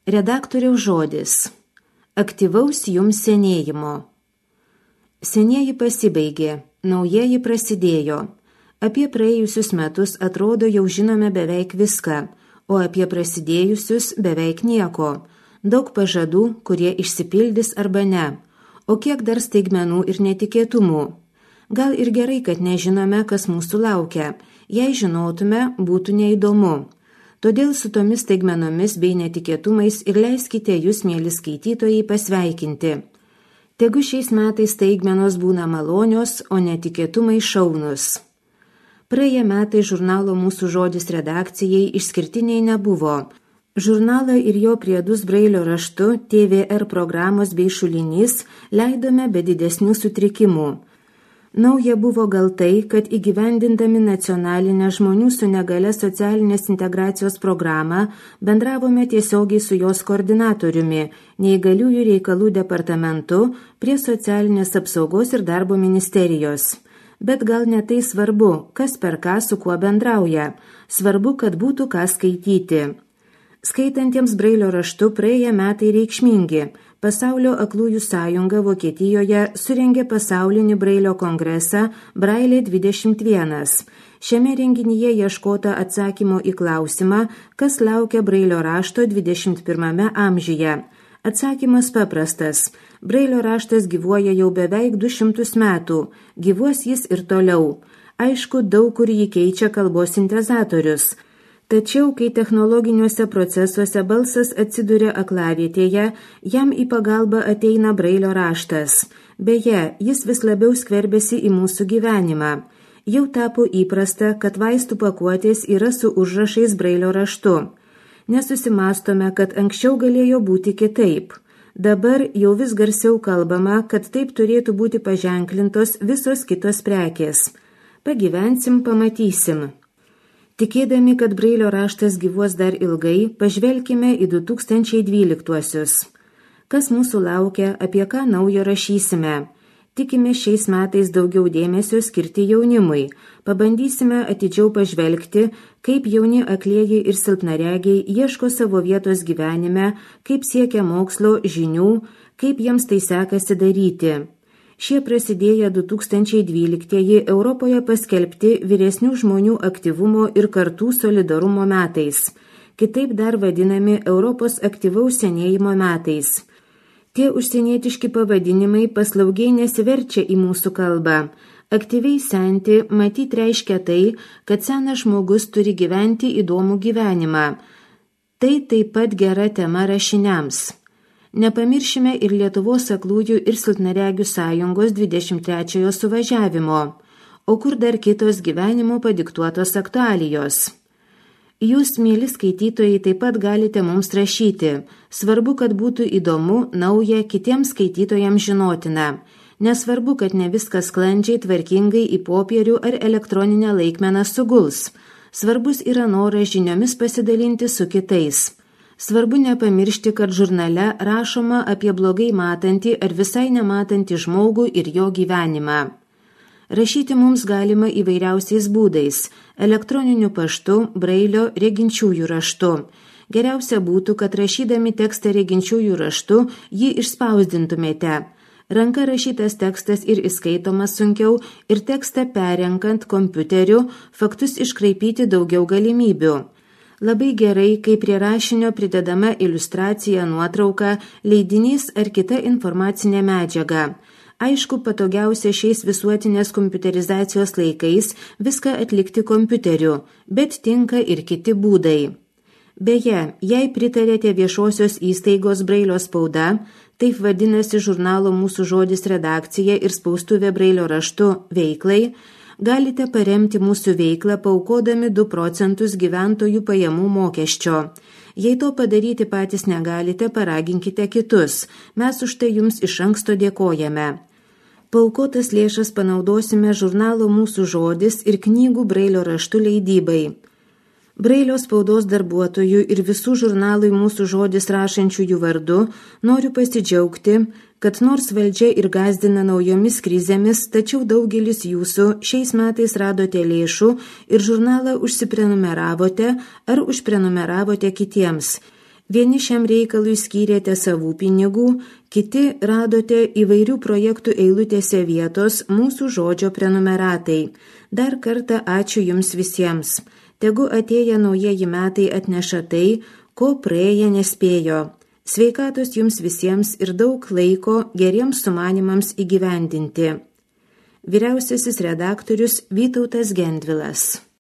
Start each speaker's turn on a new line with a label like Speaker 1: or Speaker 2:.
Speaker 1: Redaktoriaus žodis. Aktyvaus jums senėjimo. Senieji pasibaigė, naujieji prasidėjo. Apie praėjusius metus atrodo jau žinome beveik viską, o apie prasidėjusius beveik nieko. Daug pažadų, kurie išsipildys arba ne. O kiek dar staigmenų ir netikėtumų. Gal ir gerai, kad nežinome, kas mūsų laukia. Jei žinotume, būtų neįdomu. Todėl su tomis staigmenomis bei netikėtumais ir leiskite jūs, mėly skaitytojai, pasveikinti. Tegu šiais metais staigmenos būna malonios, o netikėtumai šaunus. Praėję metai žurnalo Mūsų žodis redakcijai išskirtiniai nebuvo. Žurnalą ir jo priedus brailio raštu, TVR programos bei šulinys leidome be didesnių sutrikimų. Nauja buvo gal tai, kad įgyvendindami nacionalinę žmonių su negale socialinės integracijos programą bendravome tiesiogiai su jos koordinatoriumi, neįgaliųjų reikalų departamentu prie socialinės apsaugos ir darbo ministerijos. Bet gal ne tai svarbu, kas per ką su kuo bendrauja. Svarbu, kad būtų ką skaityti. Skaitantiems brailio raštu praėję metai reikšmingi. Pasaulio aklųjų sąjunga Vokietijoje surengė pasaulinį brailio kongresą Brailė 21. Šiame renginyje ieškota atsakymo į klausimą, kas laukia brailio rašto 21 amžiuje. Atsakymas paprastas. Brailio raštas gyvuoja jau beveik 200 metų. Gyvuos jis ir toliau. Aišku, daug kur jį keičia kalbos sintezatorius. Tačiau, kai technologiniuose procesuose balsas atsiduria aklavietėje, jam į pagalbą ateina brailio raštas. Beje, jis vis labiau skverbėsi į mūsų gyvenimą. Jau tapo įprasta, kad vaistų pakuotės yra su užrašais brailio raštu. Nesusimastome, kad anksčiau galėjo būti kitaip. Dabar jau vis garsiau kalbama, kad taip turėtų būti paženklintos visos kitos prekės. Pagyvensim, pamatysim. Tikėdami, kad brailio raštas gyvuos dar ilgai, pažvelkime į 2012-uosius. Kas mūsų laukia, apie ką naujo rašysime? Tikime šiais metais daugiau dėmesio skirti jaunimui. Pabandysime atidžiau pažvelgti, kaip jauni aklieji ir silpnaregiai ieško savo vietos gyvenime, kaip siekia mokslo, žinių, kaip jiems tai sekasi daryti. Šie prasidėję 2012-ieji Europoje paskelbti vyresnių žmonių aktyvumo ir kartų solidarumo metais, kitaip dar vadinami Europos aktyvaus senėjimo metais. Tie užsienietiški pavadinimai paslaugiai nesiverčia į mūsų kalbą. Aktyviai senti matyt reiškia tai, kad senas žmogus turi gyventi įdomų gyvenimą. Tai taip pat gera tema rašiniams. Nepamiršime ir Lietuvos aklųjų ir silpnaregių sąjungos 23-ojo suvažiavimo, o kur dar kitos gyvenimo padiktuotos aktualijos. Jūs, mieli skaitytojai, taip pat galite mums rašyti. Svarbu, kad būtų įdomu, nauja, kitiems skaitytojams žinotina. Nesvarbu, kad ne viskas sklandžiai, tvarkingai į popierių ar elektroninę laikmeną suguls. Svarbus yra noras žiniomis pasidalinti su kitais. Svarbu nepamiršti, kad žurnale rašoma apie blogai matantį ar visai nematantį žmogų ir jo gyvenimą. Rašyti mums galima įvairiausiais būdais – elektroniniu paštu, brailio, reginčiųjų raštu. Geriausia būtų, kad rašydami tekstą reginčiųjų raštu jį išspausdintumėte. Ranka rašytas tekstas ir įskaitomas sunkiau ir tekstą perenkant kompiuteriu faktus iškraipyti daugiau galimybių. Labai gerai, kai prie rašinio pridedama iliustracija, nuotrauka, leidinys ar kita informacinė medžiaga. Aišku, patogiausia šiais visuotinės kompiuterizacijos laikais viską atlikti kompiuteriu, bet tinka ir kiti būdai. Beje, jei pritarėte viešosios įstaigos brailio spauda, taip vadinasi žurnalo Mūsų žodis redakcija ir spaustuvė brailio raštu veiklai, galite paremti mūsų veiklą paukodami 2 procentus gyventojų pajamų mokesčio. Jei to padaryti patys negalite, paraginkite kitus. Mes už tai jums iš anksto dėkojame. Paaukotas lėšas panaudosime žurnalo Mūsų žodis ir knygų brailio raštu leidybai. Brailio spaudos darbuotojų ir visų žurnalui Mūsų žodis rašančiųjų vardu noriu pasidžiaugti, kad nors valdžia ir gąsdina naujomis krizėmis, tačiau daugelis jūsų šiais metais radote lėšų ir žurnalą užsiprenumeravote ar užprenumeravote kitiems. Vieni šiam reikalui skyrėte savų pinigų, kiti radote įvairių projektų eilutėse vietos mūsų žodžio prenumeratai. Dar kartą ačiū jums visiems. Tegu atėję naujieji metai atneša tai, ko praėję nespėjo. Sveikatos jums visiems ir daug laiko geriems sumanimams įgyvendinti. Vyriausiasis redaktorius Vytautas Gendvilas.